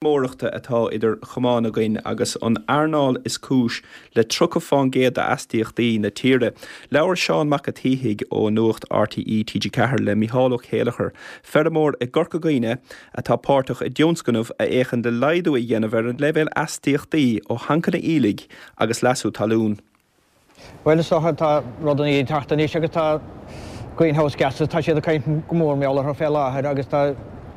Feirmeoireachta atá idir chamáin againn agus an earnáil is cúis le 30% d'astaíochtaí na tíre. Labhair Seán Mac a' tSíthigh ó Nuacht RTÉ TG4 le Micheál Ó Céileachair, feirmeoir i gCorca Dhuibhne atá páirteach i dtionscnamh a fhéachann le laghdú a dhéanamh ar an leibhéal astaíochtaí ó thancanna aoiligh agus leasú talún. Bhuel, is dócha, tá rudaí ag teacht anois agus tá greenhouse gases, tá siad ag caint go mór mar gheall orthu fé láthair agus tá,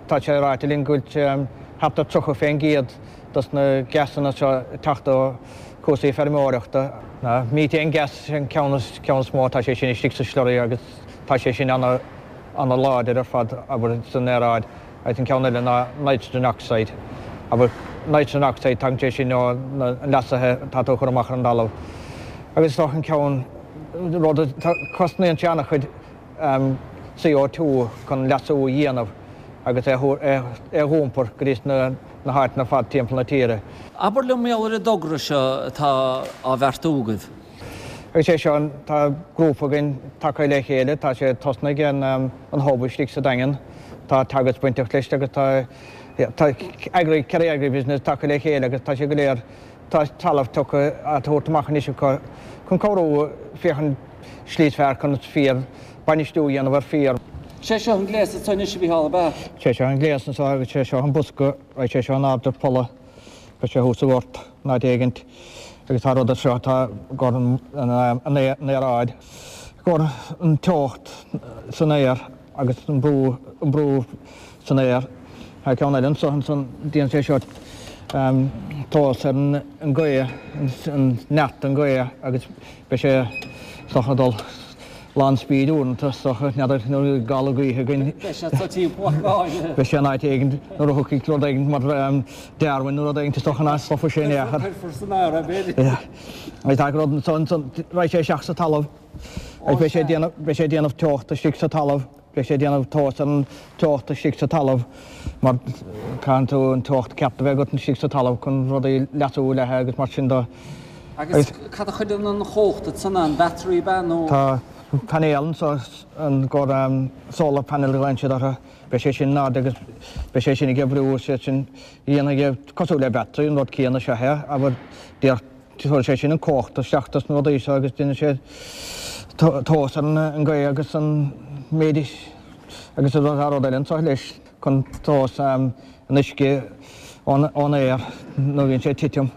tá sé ráite linn go bhfuil thart ar 30 fén gcéad dos na gasanna seo ag teacht ó chúrsaí feirmeoireachta. Na methane gas an ceann is, ceann is mó, tá sé sin istigh sa slurry agus tá sé sin ana, ana láidir ar fad, abair, san aeráid. Agus an ceann eile ná nitrogen oxide. Abair, nitrogen oxide, tagann sé sin ó na leasaithe atá tú a chur amach ar an dtalamh. Agus is dócha an ceann, rud a, cosnaíonn sé an-chuid CO2 chun leasú a dhéanamh agus é a dh'iompar go dtí na háiteanna ar fad timpeall na tíre. Abair liom mar gheall ar an dtogra seo atá á bheartú agaibh. Agus é seo, tá grúpa againn tagtha le chéile, tá sé tosnaithe ag an Hub istigh sa Daingean, tá Teagasc bainteach leis agus tá tá agri, Kerry Agribusiness tagtha le chéile agus tá sé go léir, tá talamh tugtha á tabhairt amach anois acu chun cabhrú féachaint slí is fearr chun féar, bainistiú a dhéanamh ar féar. Sé seo an gléas anseo anois a Mhícheál, ab ea? Sé seo an gléas anseo agus sé seo an bosca, raghaidh sé seo in airde polla. Beidh sé thuas sa ghort in áit éigint agus tá rud anseo atá i gcomhair an aeráid, i gcomhair an teocht san aer agus an brú, an brú san aer. Tá ceann eile anseo ansan, déanann sé seo tomhas ar an gaoth, an neart an ghaoth agus beidh sé is dócha ag dul lán speed uaireanta is dócha, n'fheadar nuair a bhí gála gaoithe againn. Beidh sé sa timpeall ar fad. Beidh sé in áit éigin nuair a thiocfaidh rud éigin mar Darwin nó rud éigin is dócha nach stopfaidh sé in aon chor. Cuirfear san aer é b'fhéidir. Agus tá rud ansan, raghaidh sé isteach sa talamh agus beidh sé ag déanamh, beidh sé ag déanamh teocht istigh sa talamh. Beidh sé ag déanamh tomhas ar an teocht istigh sa talamh mar caitheann tú an teocht ceart a bheith agat istigh sa talamh chun rudaí leasú léithe agus mar sin de. Agus cad a chuireann an chumhacht ansan, an battery ab ea nó? Tá painéal anso i gcomhair solar panel a ghlaonn siad orthu. Beidh sé sin in airde agus beidh sé sin ag oibriú, sé sin a dhéanfaidh é cosúil le battery, an rud céanna is ea é, abair, díreach Tabharfaidh sé sin an cumhacht isteach dos na rudaí seo agus déanfaidh sé tomhas ar an gaoth agus an méid agus tá rud eile anseo leis chun tomhas an uisce ón aer nuair a bhíonn sé ag titim.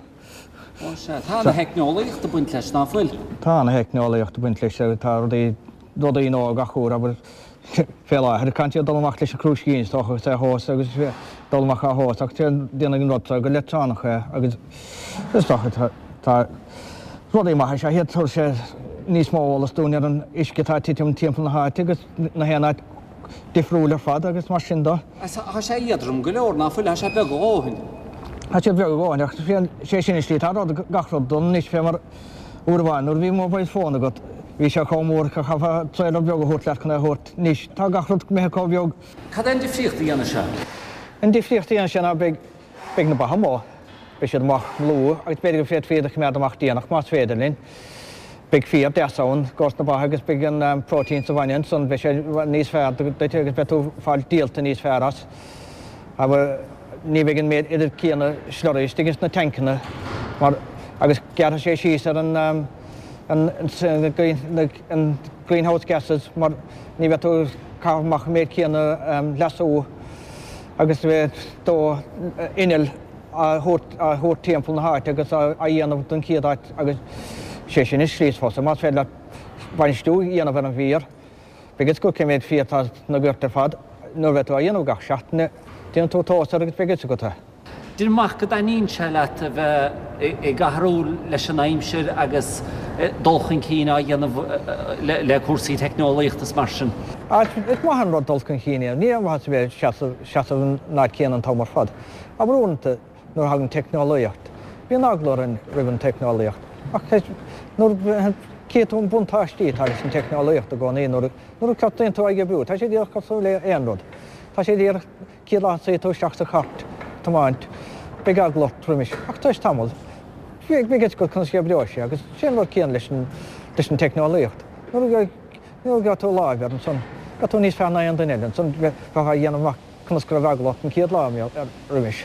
Ó sea, tá ana-theicneolaíocht ag baint leis, ná fuil? Tá ana-theicneolaíocht ag baint leis agus tá rudaí rudaí nua gach uair, abair. Fé láthair, caitheann siad dul amach leis an chrúiscín is dócha agus é a thomhas agus dul amach á thomhas ach déanfaidh an rud seo go leictreonach é agus is dócha tá rudaí maithe is ea iad, tabharfaidh sé níos mó eolas dúinn ar an uisce atá ag titim timpeall na háite agus na haon áit difriúil ar fad agus mar sin de. Tá sé éadrom go leor, ná fuil? Tá sé beag a dhóthain. Tá sé beag a dhóthain ach sé sin an slí atá rud, gach rud dul anois fé mar Uair amháin nuair a bhí mobile phone agat, bhí sé chomh mór go chaithfeá trailer beag a thabhairt leat chun é a thabhairt. Anois, tá gach rud imithe chomh beag. Cad é an difríocht a dhéanfaidh sé? An difríocht a dhéanfaidh sé ná beidh, beidh na ba amuigh, beidh siad amach luath agus b'fhéidir go bhféadfaí iad a choimeád amach déanach más féidir linn. Beidh féar deas ann i gcomhair na ba agus beidh an protein sa bhainne ansan, beidh sé níos fearr duit agus beidh tú ag fáil díolta níos fearr as. Abair, ní bheidh an méid oiread céanna slurry istigh ins na tancanna mar agus gearrfaidh sé síos ar an an an greenhouse gases mar ní bheidh tú ag caitheamh amach an méid céanna leasú agus bheith do inneall á thabhairt á thabhairt timpeall na háite agus á dhéanamh don chéad áit agus sé sin an slí is fusa más féidir leat bainistiú a dhéanamh ar an bhféar. Beidh fhios agat cé mhéad féar atá sna goirt ar fad nuair a bheidh tú á dhéanamh gach seachtain. Déanann tú tomhas air agus beidh fhios agat é. Deirim amach go dtaitníonn sé leat a bheith ag athrú leis an aimsir agus dul chun cinn á dhéanamh le cúrsaí teicneolaíochta is mar sin. Is maith an rud dul chun cinn a dhéanamh. Ní aon mhaitheas a bheith ag seasamh in áit céanna an t-am ar fad. Abair uaireanta nuair a thagann teicneolaíocht, bíonn eagla orainn roimh an teicneolaíocht. Ach nuair a chíonn tú an buntáistí atá leis an teicneolaíocht i gcónaí, nuair a tosaíonn tú á oibriú, tá sé díreach cosúil le aon rud. Tá sé díreach, céad lá a suífidh tú isteach sa chairt ag tiomáint, beidh eagla ort roimis. Ach tar éis tamaill, beidh fhios agat conas a oibreoidh sé agus sé an rud céanna leis an teicneolaíocht. Nuair a gheobhaidh tú láimh air ansan, beidh tú níos fearr ná aon duine eile ansan, bheifeá a dhéanamh amach conas go raibh eagla ort an chéad lá roimis.